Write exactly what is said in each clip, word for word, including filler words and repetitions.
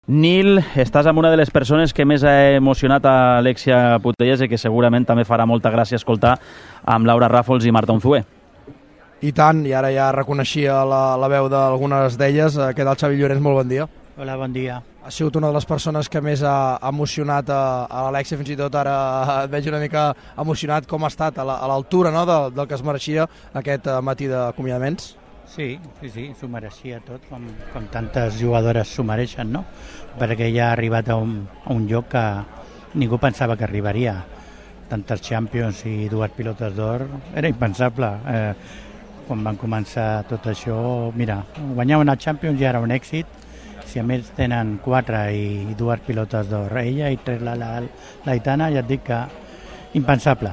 Nil, estàs amb una de les persones que més ha emocionat a Alexia Putellas i que segurament també farà molta gràcia escoltar amb Laura Ràfols i Marta Unzué. I tant, i ara ja reconeixia la, la veu d'algunes d'elles. Què tal, Xavi Llorens? Molt bon dia. Hola, bon dia. Ha sigut una de les persones que més ha emocionat a, a l'Alexia, fins i tot ara et veig una mica emocionat. Com ha estat a l'altura, no?, del, del que es mereixia aquest matí d'acomiadaments? Sí, sí, sí, s'ho mereixia tot, com, com tantes jugadores s'ho mereixen, no? Perquè ja ha arribat a un, a un lloc que ningú pensava que arribaria. Tantes Champions i dues pilotes d'or, era impensable. Eh, quan van començar tot això, mira, guanyar una Champions ja era un èxit. Si a més tenen quatre i dues pilotes d'or, ella i tres la, la, la Aitana, ja et dic que impensable.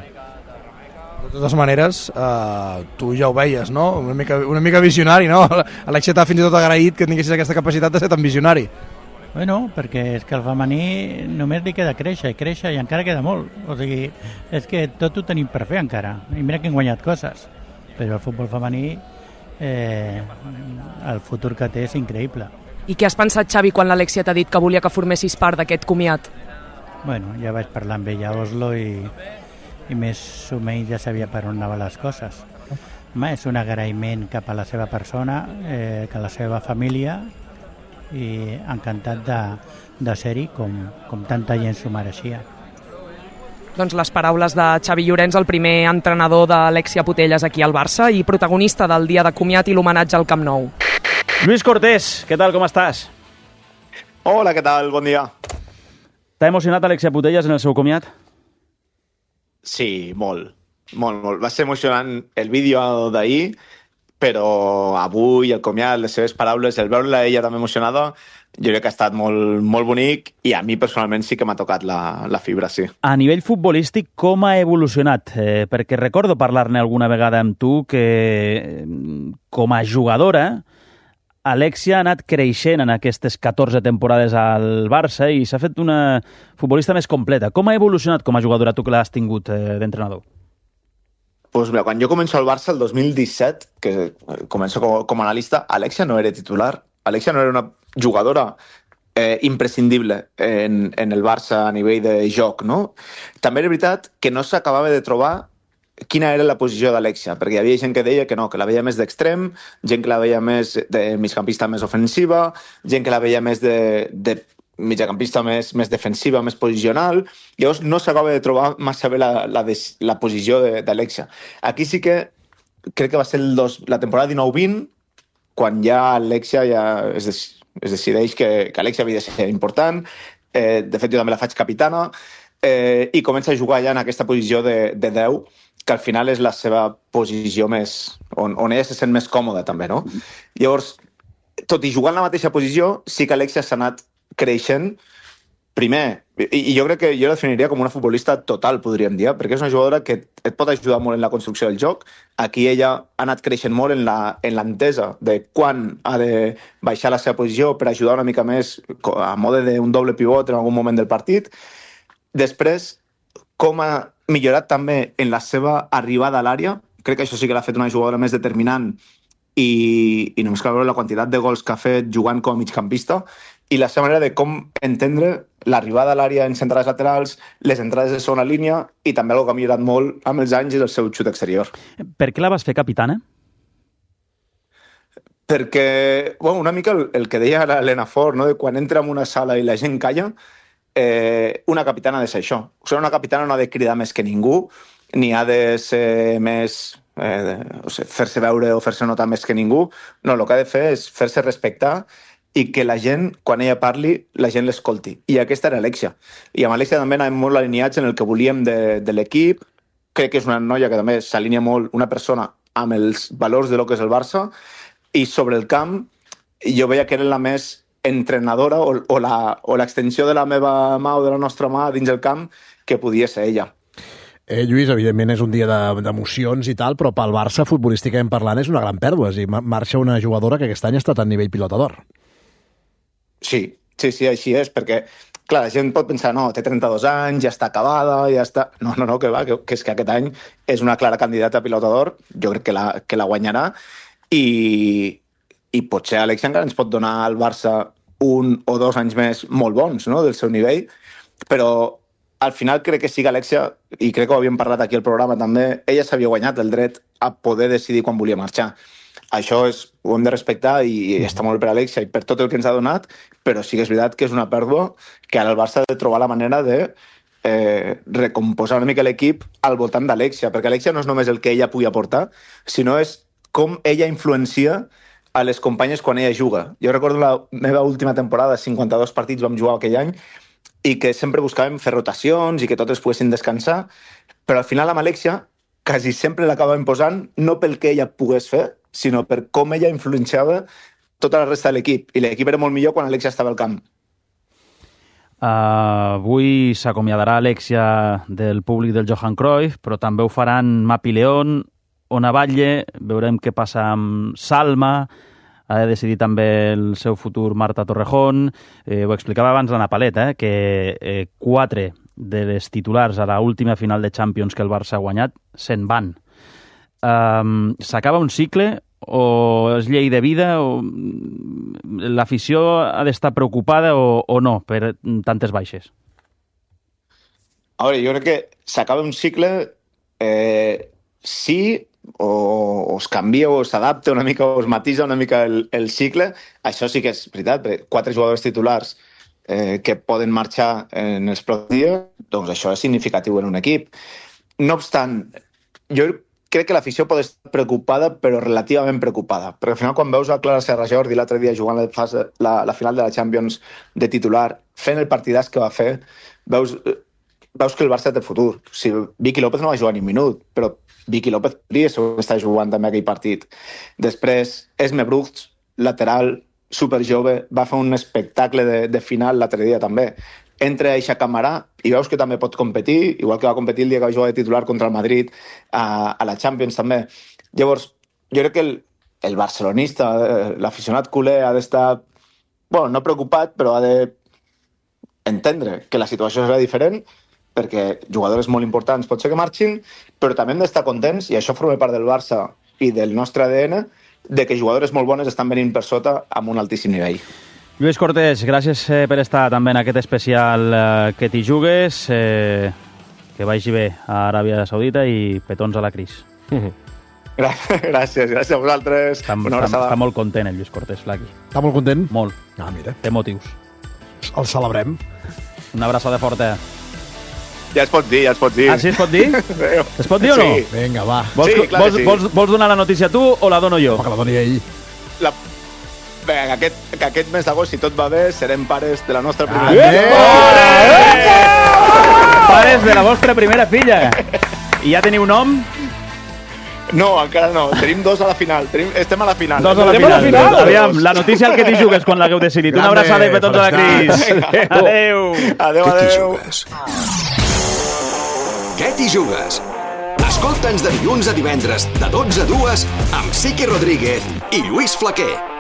De totes maneres, eh, tu ja ho veies, no? Una mica, una mica visionari, no? Alexia t'ha fins i tot agraït que tinguessis aquesta capacitat de ser tan visionari. Bueno, perquè és que el femení només li queda créixer i créixer i encara queda molt. O sigui, és que tot ho tenim per fer encara. I mira que hem guanyat coses. Però el futbol femení, eh, el futur que té és increïble. I què has pensat, Xavi, quan l'Alexia t'ha dit que volia que formessis part d'aquest comiat? Bueno, ja vaig parlar amb ella a Oslo i, i més o menys ja sabia per on anaven les coses. Home, és un agraïment cap a la seva persona, eh, que a la seva família, i encantat de, de ser-hi com, com tanta gent s'ho mereixia. Doncs les paraules de Xavi Llorens, el primer entrenador d'Alexia Putellas aquí al Barça i protagonista del dia de comiat i l'homenatge al Camp Nou. Lluís Cortés, què tal, com estàs? Hola, què tal? Bon dia. T'ha emocionat Alexia Putellas en el seu comiat? Sí, molt, molt, molt. Va ser emocionant el vídeo d'ahir, però avui el comiat, les seves paraules, el veure-la ella també emocionada, jo crec que ha estat molt, molt bonic i a mi personalment sí que m'ha tocat la, la fibra, sí. A nivell futbolístic, com ha evolucionat? Eh, perquè recordo parlar-ne alguna vegada amb tu que com a jugadora Alexia ha anat creixent en aquestes catorze temporades al Barça i s'ha fet una futbolista més completa. Com ha evolucionat com a jugadora tu que l'has tingut eh, d'entrenador? Pues mira, quan jo començo al Barça el dos mil disset, que començo com, com a analista, Alexia no era titular. Alexia no era una jugadora eh, imprescindible en, en el Barça a nivell de joc, no? També era veritat que no s'acabava de trobar quina era la posició d'Alexia, perquè hi havia gent que deia que no, que la veia més d'extrem, gent que la veia més de migcampista més ofensiva, gent que la veia més de, de mitjacampista més, més defensiva, més posicional. Llavors no s'acaba de trobar massa bé la, la, la posició d'Alexia. Aquí sí que crec que va ser el dos, la temporada dinou vint, quan ja Alexia ja es, des, es decideix que, que Alexia havia de ser important. Eh, de fet, jo també la faig capitana, eh, i comença a jugar ja en aquesta posició de, de deu, que al final és la seva posició més... on, on ella se sent més còmoda, també, no? Llavors, tot i jugar en la mateixa posició, sí que Alexia s'ha anat creixent primer, i, i jo crec que jo la definiria com una futbolista total, podríem dir, perquè és una jugadora que et pot ajudar molt en la construcció del joc. Aquí ella ha anat creixent molt en la, en l'entesa de quan ha de baixar la seva posició per ajudar una mica més a mode d'un doble pivot en algun moment del partit. Després, com ha millorat també en la seva arribada a l'àrea. Crec que això sí que l'ha fet una jugadora més determinant i, i només cal veure la quantitat de gols que ha fet jugant com a migcampista i la seva manera de com entendre l'arribada a l'àrea en centrals laterals, les entrades de segona línia i també el que ha millorat molt amb els anys és el seu xut exterior. Per què la vas fer capitana? Perquè, bueno, una mica el, el que deia l'Helena Fort, no? De quan entra en una sala i la gent calla, Eh, una capitana ha de ser això. O sigui, una capitana no ha de cridar més que ningú, ni ha de ser més... Eh, o sigui, fer-se veure o fer-se notar més que ningú. No, el que ha de fer és fer-se respectar i que la gent, quan ella parli, la gent l'escolti. I aquesta era Alexia. I amb Alexia també anàvem molt alineats en el que volíem de, de l'equip. Crec que és una noia que també s'alinea molt, una persona amb els valors de lo que és el Barça, i sobre el camp jo veia que era la més entrenadora o, o, la, o l'extensió de la meva mà o de la nostra mà dins el camp que podia ser ella. Eh, Lluís, evidentment és un dia d'emocions i tal, però pel Barça, futbolísticament parlant, és una gran pèrdua. És a dir, marxa una jugadora que aquest any ha estat a nivell pilota d'or. Sí, sí, sí, així és, perquè clar, la gent pot pensar, no, té trenta-dos anys, ja està acabada, ja està... No, no, no, que va, que, que és que aquest any és una clara candidata a pilota d'or, jo crec que la, que la guanyarà, i, i potser Alexia encara ens pot donar al Barça un o dos anys més molt bons, no?, del seu nivell, però al final crec que sí que Alexia, i crec que ho havíem parlat aquí al programa també, ella s'havia guanyat el dret a poder decidir quan volia marxar. Això és, ho hem de respectar i està molt per Alexia i per tot el que ens ha donat, però sí que és veritat que és una pèrdua que ara el Barça ha de trobar la manera de eh, recomposar una mica l'equip al voltant d'Alexia, perquè Alexia no és només el que ella pugui aportar, sinó és com ella influencia a les companyes quan ella juga. Jo recordo la meva última temporada, cinquanta-dos partits vam jugar aquell any, i que sempre buscàvem fer rotacions i que totes poguessin descansar, però al final amb Alexia quasi sempre l'acabàvem posant no pel que ella pogués fer, sinó per com ella influenciava tota la resta de l'equip. I l'equip era molt millor quan Alexia estava al camp. Uh, avui s'acomiadarà Alexia del públic del Johan Cruyff, però també ho faran Mapi León, Ona Batlle, veurem què passa amb Salma, ha de decidir també el seu futur Marta Torrejón. Eh, ho explicava abans l'Anna Palet, eh, que eh, quatre de les titulars a l'última final de Champions que el Barça ha guanyat se'n van. Um, S'acaba un cicle o és llei de vida o l'afició ha d'estar preocupada o, o no per tantes baixes? A veure, jo crec que s'acaba un cicle eh, sí o, o es canvia o s'adapta una mica o es matisa una mica el, el cicle. Això sí que és veritat, perquè quatre jugadors titulars eh, que poden marxar en els pròxims dies, doncs això és significatiu en un equip. No obstant, jo crec que l'afició pot estar preocupada, però relativament preocupada. Perquè al final, quan veus a Clara Serra Jordi l'altre dia jugant la, fase, la, la final de la Champions de titular, fent el partidàs que va fer, veus, veus que el Barça té futur. O sigui, Vicky López no va jugar ni un minut, però Vicky López podria estar jugant també aquell partit. Després, Esme Brugts, lateral, superjove, va fer un espectacle de, de final l'altre dia també. Entra Aixa Camarà i veus que també pot competir, igual que va competir el dia que va jugar de titular contra el Madrid a, a la Champions també. Llavors, jo crec que el, el barcelonista, l'aficionat culer, ha d'estar, bueno, no preocupat, però ha d'entendre que la situació serà diferent, perquè jugadors molt importants pot ser que marxin, però també hem d'estar contents, i això forma part del Barça i del nostre A D N, de que jugadors molt bones estan venint per sota amb un altíssim nivell. Lluís Cortés, gràcies eh, per estar també en aquest especial eh, Que t'hi jugues. Eh, que vagi bé a Aràbia Saudita i petons a la Cris. Gràcies, gràcies a vosaltres. Està, està, està molt content el Lluís Cortés, Flaqui. Està molt content? Molt. Ah, mira. Té motius. El celebrem. Una abraçada forta. Ja es pot dir, ja es pot dir. Ah, sí, es pot dir? Es pot dir o no? Sí. Vinga, va. Vols, sí, clar vols, sí. vols, vols donar la notícia tu o la dono jo? Que la doni ell. La... Bé, que aquest, que aquest mes d'agost, si tot va bé, serem pares de la nostra primera filla. Pares de la vostra primera filla. I ja teniu nom? No, encara no. Tenim dos a la final. Tenim... Estem a la final. Dos a la final. final. Aviam, la notícia al Que t'hi jugues quan l'hagueu decidit. Una abraçada i petons a la Cris. Adéu. Adéu, Que t'hi adéu. jugues? Què t'hi jugues? Escolta'ns de dilluns a divendres, de dotze a dues, amb Siqui Rodríguez i Lluís Flaquer.